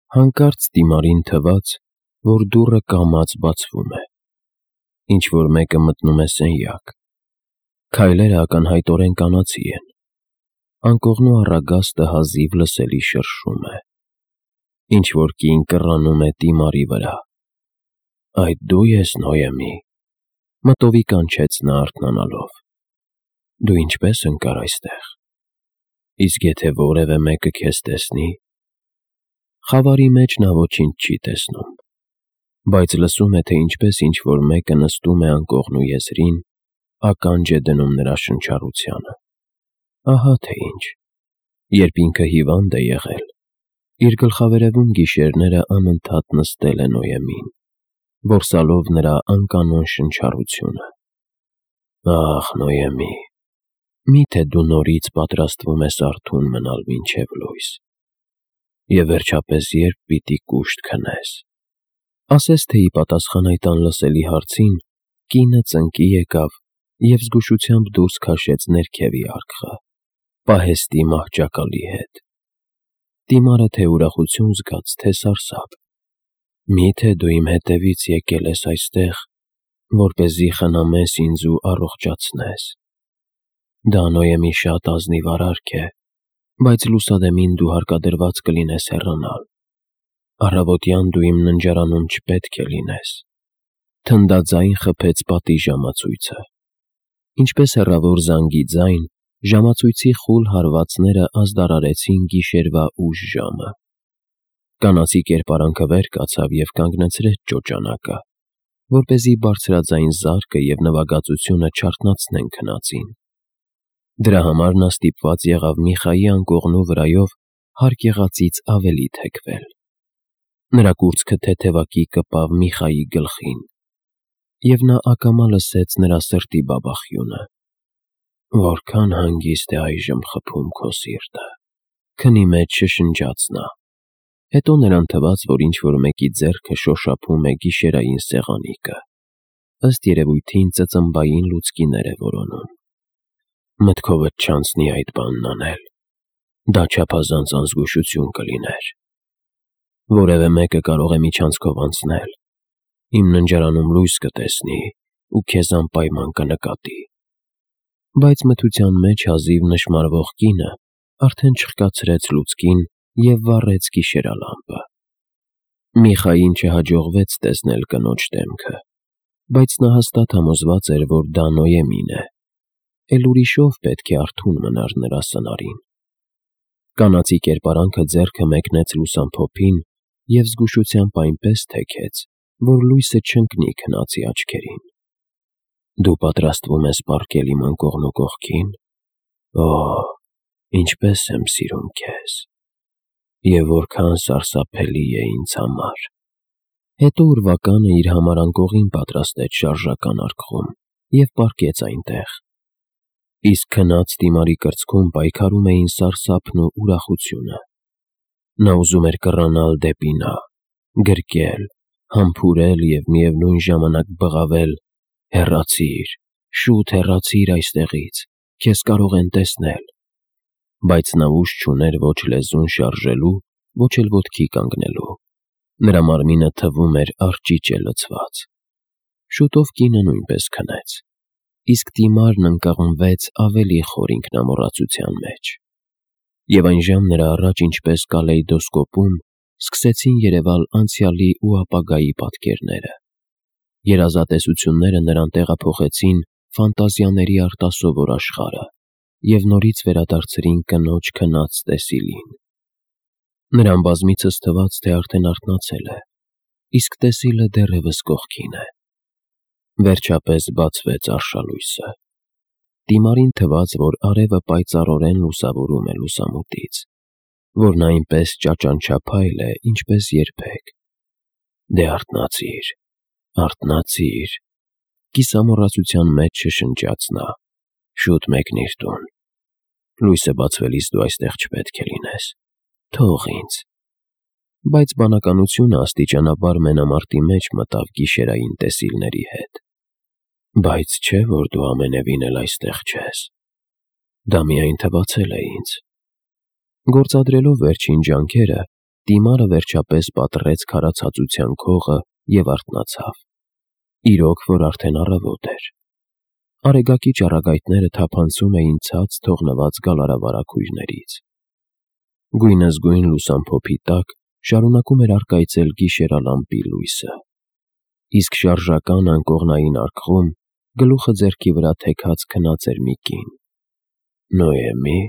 Հանկարծ Տիմարին թվաց, որ դուռը կամաց բացվում է, ինչ-որ մեկը մտնում է սենյակ, քայլերը ակնհայտորեն կանացի են, անկողնու առագաստը հազիվ լսելի շրշում է, ինչ-որ կին կռանում է Տիմարի վրա։ «Այդ դու ես, Նոյեմի», մտովի կանչեց նա արթնանալով, «դու ինչպես ընկար այստեղ, իսկ եթե որևէ մեկը քեզ տեսնի»։ Խավարի մեջ նա ոչինչ չի տեսնում, բայց լսում է, թե ինչպես ինչ-որ մեկը նստում է անկողնու եզրին, ականջ է դնում նրա շնչառությանը։ Ահա թե ինչ, երբ ինքը հիվանդ է եղել, իր գլխավերևում գիշերները անընդհատ նստել է Նոյեմին, որսալով նրա անկանոն շնչառությունը։ Ախ, Նոյեմի, միթե դու նորից պատրաստվում ես արթուն մնալ մինչև լույս, և վերջապես երբ պիտի կուշտ քնես։ Ասես թե ի պատասխան այդ անլսելի հարցին, կինը ծնկի եկավ և զգուշությամբ դուրս քաշեց ներքևի արկղը, պահեստի մահճակալի հետ։ Տիմարը թե ուրախություն զգաց, թե սարսափ։ Միթե դու իմ հետևից եկել ես այստեղ, որպեսզի խնամես ինձ ու առողջացնես։ Դա Նոյեմի շատ ազնիվ արարք է, բայց լուսադեմին դու հարկադրված կլինես հեռանալ։ Առավոտյան դու իմ ննջարանում չպետք է լինես։ Թնդաձայն խփեց պատի ժամացույցը։ Ինչպես հեռավոր զանգի ձայն, ժամացույցի խուլ հարվածները ազդարարեցին գիշերվա ուշ ժամը։ Կանացի կերպարանքը վեր կացավ և կանգնեցրեց ճոճանակը, որպեսզի բարձրաձայն զարկը և նվագածությունը չարթնացնեն քնածին։ Դրա համար նա ստիպված եղավ Միխայի անկողնու վրայով հարկ եղածից ավելի թեքվել։ Նրա կուրծքը թեթևակի կպավ Միխայի գլխին, և նա ակամա լսեց նրա սրտի բաբախյունը։ «Որքան հանգիստ է այժմ խփում քո սիրտը», քնի մեջ շշնջաց նա։ Հետո նրան թվաց, որ ինչ-որ մեկի ձեռքը շոշափում է գիշերային սեղանիկը, ըստ երևույթին ծծմբային լուցկիներ է որոնում։ Մտքովդ չանցնի այդ բանն անել, դա չափազանց անզգուշություն կլիներ։ Որևէ մեկը կարող է միջանցքով անցնել, իմ ննջարանում լույս կտեսնի ու քեզ անպայման կնկատի։ Բայց մթության մեջ հազիվ նշմարվող կինը արդեն չխկացրեց լուցկին և վառեց գիշերալամպը։ Միխային չհաջողվեց տեսնել կնոջ դեմքը, բայց նա հաստատ համոզված էր, որ դա Նոյեմին է, էլ ուրիշով պետք է արթուն մնար նրա սնարին։ Կանացի կերպարանքը ձեռքը մեկնեց լուսամփոփին և զգուշությամբ այնպես թեքեց, որ լույսը չընկնի քնածի աչքերին։ Դու պատրաստվում ես պառկել իմ անկողնու կողքին։ Օ, ինչպես եմ սիրում քեզ, և որքան սարսափելի է ինձ համար։ Հետո ուրվականը իր համար անկողին պատրաստեց շարժական արկղում և պառկեց այնտեղ։ Իսկ քնած Տիմարի կրծքում պայքարում էին սարսափն ու ուրախությունը։ Նա ուզում էր կռանալ դեպի նա, գրկել, համբուրել և միևնույն ժամանակ բղավել. «Հեռացիր, շուտ հեռացիր այստեղից, քեզ կարող են տեսնել»։ Բայց նա ուժ չուներ ոչ լեզուն շարժելու, ոչ էլ ոտքի կանգնելու։ Նրա մարմինը թվում էր արճիճ է լցված։ Շուտով կինը նույնպես քնեց, իսկ Տիմարն ընկղմվեց ավելի խոր ինքնամոռացության մեջ։ Եվ այնժամ նրա առաջ, ինչպես կալեյդոսկոպում, սկսեցին երևալ անցյալի ու ապագայի պատկերները։ Երազատեսությունները նրան տեղափոխեցին ֆանտազիաների արտասովոր աշխարհը և նորից վերադարձրին կնոջ քնած տեսիլին։ Նրան բազմիցս թվաց, թե արդեն արթնացել է, իսկ տեսիլը դեռևս կողքին է։ Վերջապես բացվեց արշալույսը։ Տիմարին թվաց, որ արևը պայծառորեն լուսավորում է լուսամուտից, որ նա այնպես ճաճանչափայլ է, ինչպես երբեք։ Դե արթնացիր, արթնացիր, կիսամոռացության մեջ շշնջաց նա, շուտ մեկնիր տուն։ Լույսը բացվելիս դու այստեղ չպետք է լինես, թող ինձ։ Բայց բանականությունը աստիճանաբար մենամարտի մեջ մտավ գիշերային տեսիլների հետ։ Բայց չէ, որ դու ամենևին էլ այստեղ չես։ Դա միայն թվացել է ինձ։ Գործադրելով վերջին ջանքերը, Տիմարը վերջապես պատռեց քարացածության քողը և արթնացավ։ Իրոք, որ արդեն առավոտ էր։ Արեգակի ճառագայթները թափանցում էին ցած թողնված գալարավարագույրներից։ Գույնզգույն լուսամփոփի տակ շարունակում էր առկայծել գիշերալամպի լույսը, իսկ շարժական անկողնային արկղում գլուխը ձեռքի վրա թեքած քնած էր մի կին։ «Նոյեմի՞»,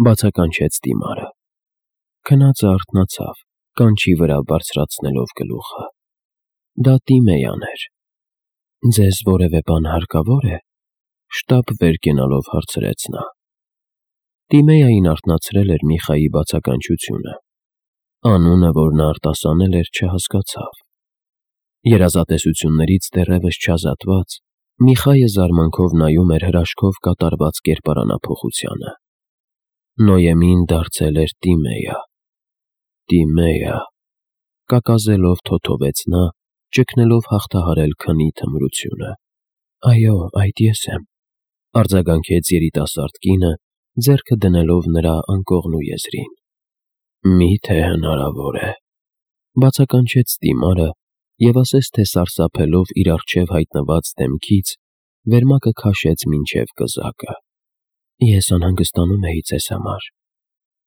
բացականչեց Տիմարը։ Քնածը արթնացավ, կանչի վրա բարձրացնելով գլուխը։ Դա Տիմեյան էր։ «Ձեզ որևէ բան հարկավոր է», շտապ վեր կենալով հարցրեց նա։ Տիմեային արթնացրել էր Միխայի բացականչությունը։ Անունը, որ նա արտասանել էր, չհասկացավ։ Երազատեսություններից դեռևս չազատված, Միխայը զարմանքով նայում էր հրաշքով կատարված կերպարանափոխությանը։ Նոյեմին դարձել էր Տիմեյա։ «Տիմեյա», կակազելով թոթովեց նա, ճգնելով հաղթահարել քնի թմրությունը։ «Այո, այդ ես եմ», արձագանքեց երիտասարդ կինը, ձեռքը դնելով նրա անկողնու եզրին։ «Մի՞թե հնարավոր է», բացականչեց Տիմարը և ասես թե սարսափելով իր առջև հայտնված դեմքից, վերմակը քաշեց մինչև կզակը։ «Ես անհանգստանում էի ձեզ համար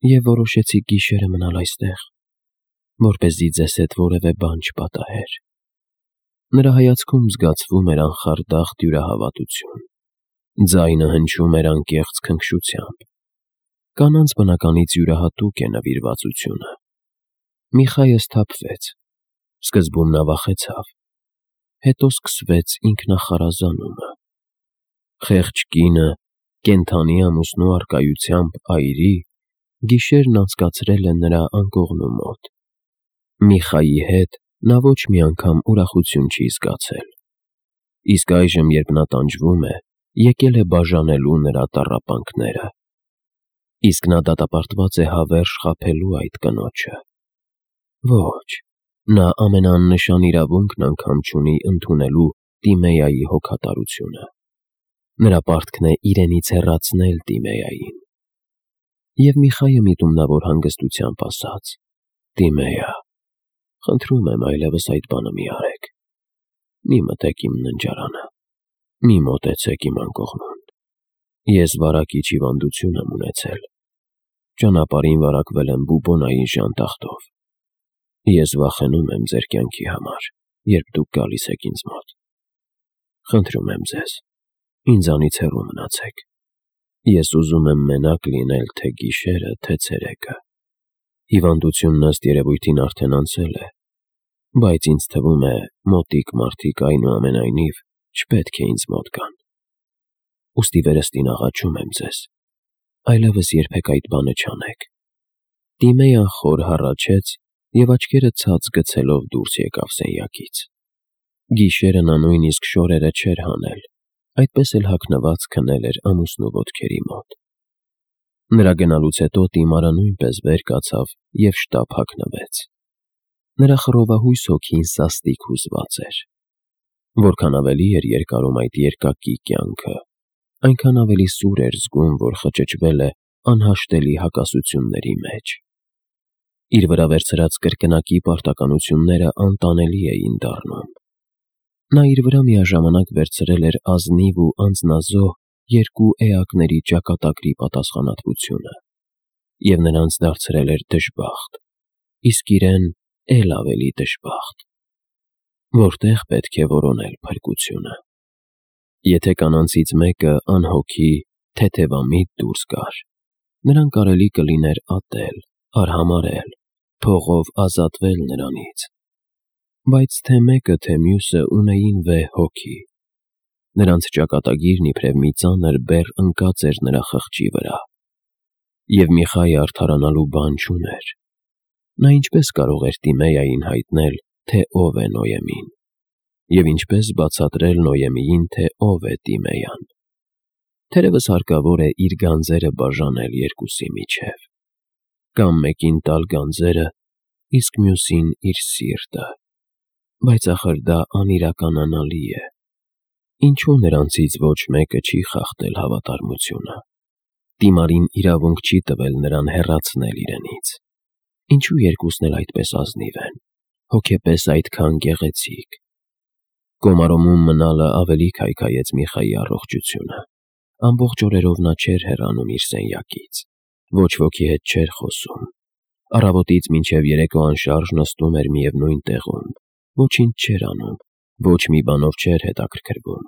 և որոշեցի գիշերը մնալ այստեղ, որպեսզի ձեզ հետ որևէ բան չպատահեր»։ Նրա հայացքում զգացվում էր անխարդախ դյուրահավատություն։ Ձայնը հնչում էր անկեղծ քնքշությամբ։ Կանանց բնականից յուրահատուկ է նվիրվածությունը։ Միխայը սթափվեց։ Սկզբում նա վախեցավ, հետո սկսվեց ինքնախարազանումը։ Խեղճ կինը, կենդանի ամուսնու առկայությամբ այրի, գիշերն անցկացրել է նրա անկողնու մոտ։ Միխայի հետ նա ոչ մի անգամ ուրախություն չի զգացել։ Իսկ այժմ, երբ նա տանջվում է, եկել է բաժանելու նրա տառապանքները։ Իսկ նա դատապարտված է հավերժ խաբելու այդ կնոջը։ Ոչ, նա ամենաաննշան իրավունքն անգամ չունի ընդունելու Տիմեյայի հոգատարությունը։ Նրա պարտքն է իրենից հեռացնել Տիմեյային։ Եվ Միխայը միտումնավոր հանգստությամբ ասաց. «Տիմեյա, խնդրում եմ այլևս այդ բանը մի արեք։ Մի մտեք իմ ննջարանը, մի մոտեցեք իմ անկողնուն։ Ես վարակիչ հիվանդություն եմ ունեցել։ Ճանապարհին վարակվել եմ բուբոնայի ժանտախտով։ Ես վախենում եմ ձեր կյանքի համար, երբ դուք գալիս եք ինձ մոտ։ Խնդրում եմ ձեզ, ինձանից հեռու մնացեք։ Ես ուզում եմ մենակ լինել թե գիշերը, թե ցերեկը։ Հիվանդությունն ըստ երևույթին արդեն անցել է, բայց ինձ թվում է, մոտիկ մարդիկ այնուամենայնիվ չպետք է ինձ մոտ գան։ Ուստի վերստին աղաչում եմ ձեզ, այլևս երբեք այդ բանը չանեք»։ Տիմեյան խոր հառաչեց և աչքերը ցած գցելով դուրս եկավ սենյակից։ Գիշերը նա նույնիսկ շորերը չէր հանել, այդպես էլ հագնված քնել էր ամուսնու ոտքերի մոտ։ Նրա գնալուց հետո Տիմարը նույնպես վեր կացավ և շտապ հագնվեց։ Նրա խռովահույս հոգին սաստիկ հուզված էր։ Որքան ավելի էր երկարում այդ երկակի կյանքը, այնքան ավելի սուր էր զգում, որ խճճվել է անհաշտելի հակասությունների մեջ։ Իր վրա վերցրած կրկնակի պարտականությունները անտանելի էին դառնում։ Նա իր վրա միաժամանակ վերցրել էր ազնիվ ու անձնազոհ երկու էակների ճակատագրի պատասխանատվությունը և նրանց դարձրել էր դժբախտ, իսկ իրեն էլ ավելի դժբախտ։ Որտե՞ղ պետք է որոնել փրկությունը։ Եթե կանանցից մեկը անհոգի, թեթևամիտ դուրս գար, նրան կարելի կլիներ ատել, արհամարհել, փողով ազատվել նրանից։ Բայց թե մեկը, թե մյուսը ունեին վեհ հոգի։ Նրանց ճակատագիրն իբրև մի ծանր բեռ ընկած էր նրա խղճի վրա։ Եվ Միխայը արդարանալու բան չուներ։ Նա ինչպես կարող էր Տիմեյային հայտնել, թե ով է Նոյեմին, և ինչպես բացատրել Նոյեմիին, թե ով է Տիմեյան։ Թերևս հարկավոր է իր գանձերը բաժանել երկուսի միջև, կամ մեկին տալ գանձերը, իսկ մյուսին իր սիրտը։ Բայց ախր դա անիրականանալի է։ Ինչու նրանցից ոչ մեկը չի խախտել հավատարմությունը։ Տիմարին իրավունք չի տվել նրան հեռացնել իրենից։ Ինչու երկուսն էլ այդպես ազնիվ են, հոգեպես այդքան գեղեցիկ։ Կոմարոմում մնալը ավելի քայքայեց Միխայի առողջությունը։ Ամբողջ օրերով նա չէր հեռանում իր սենյակից, ոչ ոքի հետ չէր խոսում։ Առավոտից մինչև երեկո անշարժ նստում էր միևնույն տեղում, ոչինչ չէր անում, ոչ մի բանով չէր հետաքրքրվում։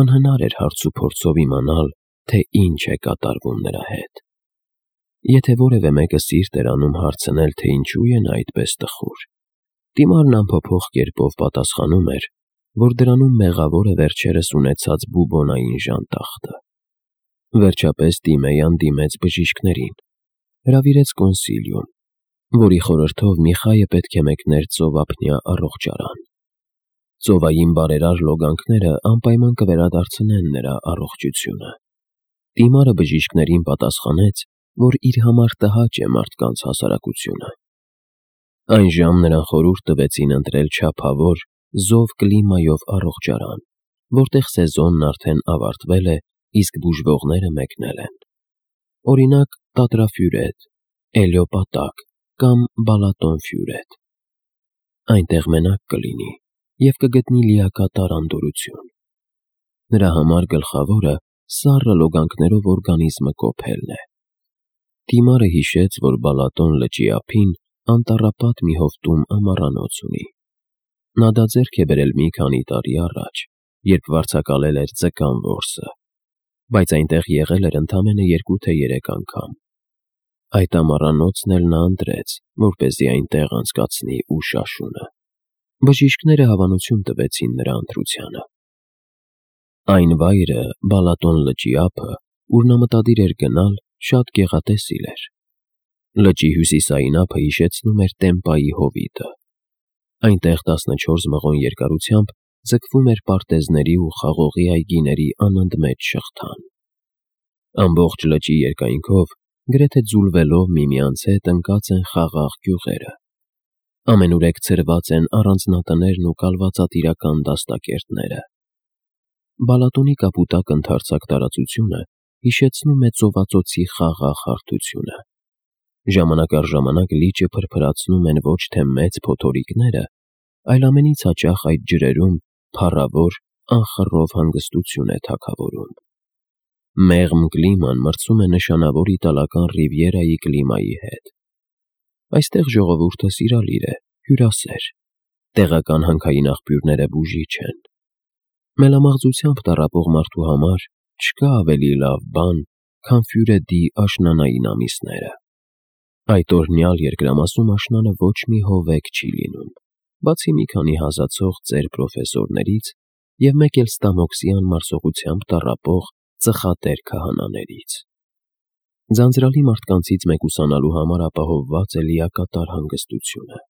Անհնար էր հարց ու փորձով իմանալ, թե ինչ է կատարվում նրա հետ։ Եթե որևէ մեկը սիրտ էր անում հարցնել, թե ինչու է նա այդպես տխուր, դիմարն անփոփոխ կերպով պատասխանում էր, որ դրանում մեղավոր է վերջերս ունեցած բուբոնային ժանտախտը։ Վերջապես Տիմեյան դիմեց բժիշկներին, հրավիրեց կոնսիլիում, որի խորհրդով Միխայը պետք է մեկներ ծովափնյա առողջարան։ Ծովային բարերար լոգանքները անպայման կվերադարձնեն նրա առողջությունը։ Տիմարը բժիշկներին պատասխանեց, որ իր համար տհաճ է մարդկանց հասարակությունը։ Այն ժամ նրան խորհուրդ տվեցին ընտրել չափավոր, զով կլիմայով առողջարան, որտեղ սեզոնն արդեն ավարտվել է, իսկ բուժվողները մեկնել են։ Օրինակ Տատրաֆյուրետ, Էլիոպատակ կամ Բալատոնֆյուրետ։ Այնտեղ մենակ կլինի և կգտնի լիակատար անդորրություն։ Նրա համար գլխավորը սառը լոգանքներով օրգանիզմը կոփելն է։ Տիմարը հիշեց, որ Բալատոն լճի ափին անտառապատ մի հովտում ամառանոց ունի։ Նա դա ձեռք է բերել մի քանի տարի առաջ, երբ վարձակալել էր Ձկան որսը, բայց այնտեղ եղել էր ընդամենը 2 թե 3 անգամ։ Այդ ամառանոցն էլ նա ընտրեց, որպեսզի այնտեղ անցկացնի ուշ աշունը։ Բժիշկները հավանություն տվեցին նրա ընտրությանը։ Այն վայրը, Բալատոն լճի ափը, ուր նա մտադիր էր գնալ, շատ գեղատեսիլ էր։ Լճի հյուսիսային ափը հիշեցնում էր Տեմպայի հովիտը։ Այնտեղ 14 մղոն երկարությամբ ձգվում էր պարտեզների ու խաղողի այգիների անընդմեջ շղթան։ Ամբողջ լճի երկայնքով, գրեթե ձուլվելով միմյանց հետ, ընկած են խաղաղ գյուղերը։ Ամենուրեք ցրված են առանձնատներն ու կալվածատիրական դաստակերտները։ Բալատոնի կապուտակ ընդարձակ տարածությունը հիշեցնում է ծովածոցի խաղաղ հարթությունը։ Ժամանակ առ ժամանակ լիճը փրփրացնում են ոչ թե մեծ փոթորիկները, այլ ամենից հաճախ այդ ջրերում փառավոր, անխռով հանգստություն է թագավորում։ Մեղմ կլիման մրցում է նշանավոր իտալական Ռիվիերայի կլիմայի հետ։ Այստեղ ժողովուրդը սիրալիր է, հյուրասեր։ Տեղական հանքային աղբյուրները բուժիչ են։ Մելամաղձությամբ տառապող մարդու համար չկա ավելի լավ բան, քան Ֆյուրեդի աշնանային ամիսները։ Այդ օրհնյալ երկրամասում աշնանը ոչ մի հովեկ չի լինում, բացի մի քանի հազացող ծեր պրոֆեսորներից և մեկ էլ Ստամոքսի անմարսողությամբ տառապող ծխատեր քահանաներից։ Ձանձրալի մարդկանցից մեկուսանալու համար ապահովված է լիակատար հանգստությունը։